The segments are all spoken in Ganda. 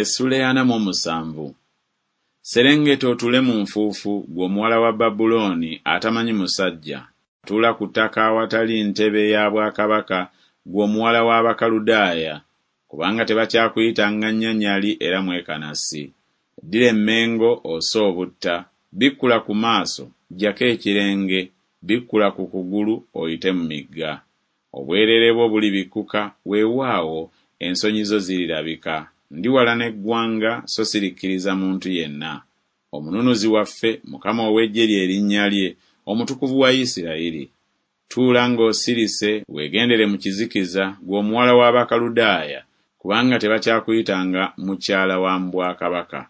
Essuula ey'ana mu omusanvu. Serengeta otuule mu nfuufu, ggwe omuwala wa Babulooni atamanyi musajja, tuula ku ttaka awatali ntebe ya bwakabaka, ggwe omuwala w'Abakaludaaya, kubanga tebakyakuyita Nganyanyali era Mwekanasi. Ddira emmengo ose obutta, bikkula ku maaso, ggyako ekirenge, bikkula ku kugulu oyite mu migga. Obwereere bwo bulibikkuka, weewaawo, ensonyi zo zirirabika. Ndiwalana eggwanga, so sirikkiriza muntu yenna. Omununuzi waffe, Mukama ow'eggye lye linnya lye, Omutukuvu wa Isirayiri. Tuula ng'osirise, weegendere mu kizikiza, ggwe omuwala w'Abakaludaaya, kubanga tebakyakuyitanga mukyala wa mu bwakabaka.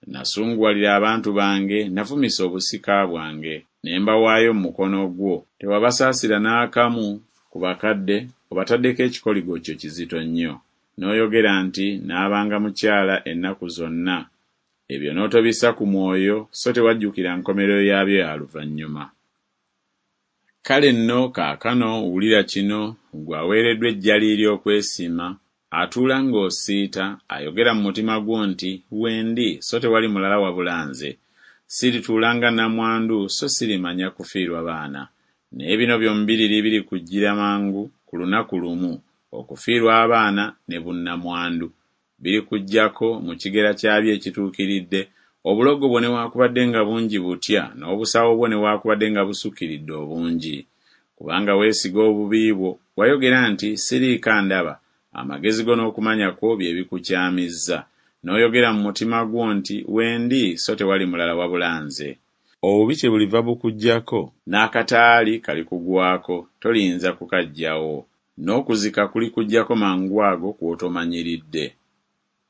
Nasunguwalira abantu bange, navumisa obusika bwange, ne mbawaayo mu mukono gwo. Tewabasaasira n'akamu ku bakadde, obataddeko ekikoligo kyo kizito nnyo. N'oyogera nti Naabanga mukyala ennaku zonna, ebyo n'otobissa ku mwoyo, so tewajjukira nkomerero yaabyo ya luvannyuma. Kale nno kaakano wulira kino, ggwe aweereddwa ejjaliiri okwesiima, atuula ng'osiita, ayogera mu mutima gwo nti Wendi, so tewali mulala wabula nze. Sirituula nga nnamwandu, so sirimanya kufiirwa baana. Naye bino byombiriri birikujjira mangu ku lunaku lumu, okufiirwa abaana ne bunnamwandu. Birikujjako mu kigera kyabyo ekituukiridde, obulogo bwo newaakubadde nga bungi butya, n'obusawo bwo newaakubadde nga busukkiridde obungi. Kubanga weesiga obubi bwo, wayogera nti Siriiko andaba, amagezi go n'okumanya kwo bye bikukyamizza, n'oyogera mu mutima gwo nti Wendi, so tewali mulala wabula nze. Obubi kyebuliva bukujjako, n'akataali kalikugwako, toliyinza kukaggyawo, n'okuzika kulikujjako mangwago kw'otomanyiridde.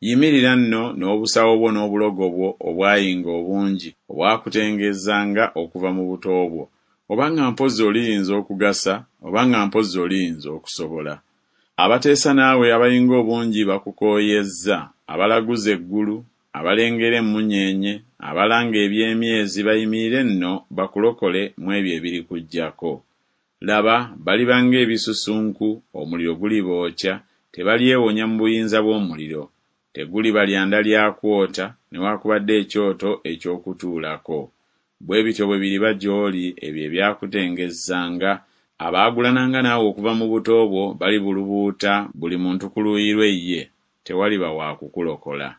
Yimirira nno n'obusawo bwo n'obulogo bwo obwayinga obungi, obwakutengeezanga okuva mu buto bwo, oba nga mpozzi oliyinza okugasa, oba nga mpozzi oliyinza okusobola. Abateesa naawe abayinga obungi bakukooyezza, abalaguza eggulu, abalengera emmunyeenye, abalanga eby'emyezi bayimirire nno bakulokole mu ebyo ebirikujjako. Laba, baliba ng'ebisusunku, omuliro gulibookya, tebalyewonya mu buyinza bw'omuliro. Teguliba lyanda lya kwota, newakubadde ekyoto eky'okutuulako. Bwe bityo bwe biriba gy'oli ebyo ebyakutengezzanga, abaagulananga naawe okuva mu buto bwo balibulubuuta buli muntu ku luuyi lwe ye, tewaliba wa kukulokola.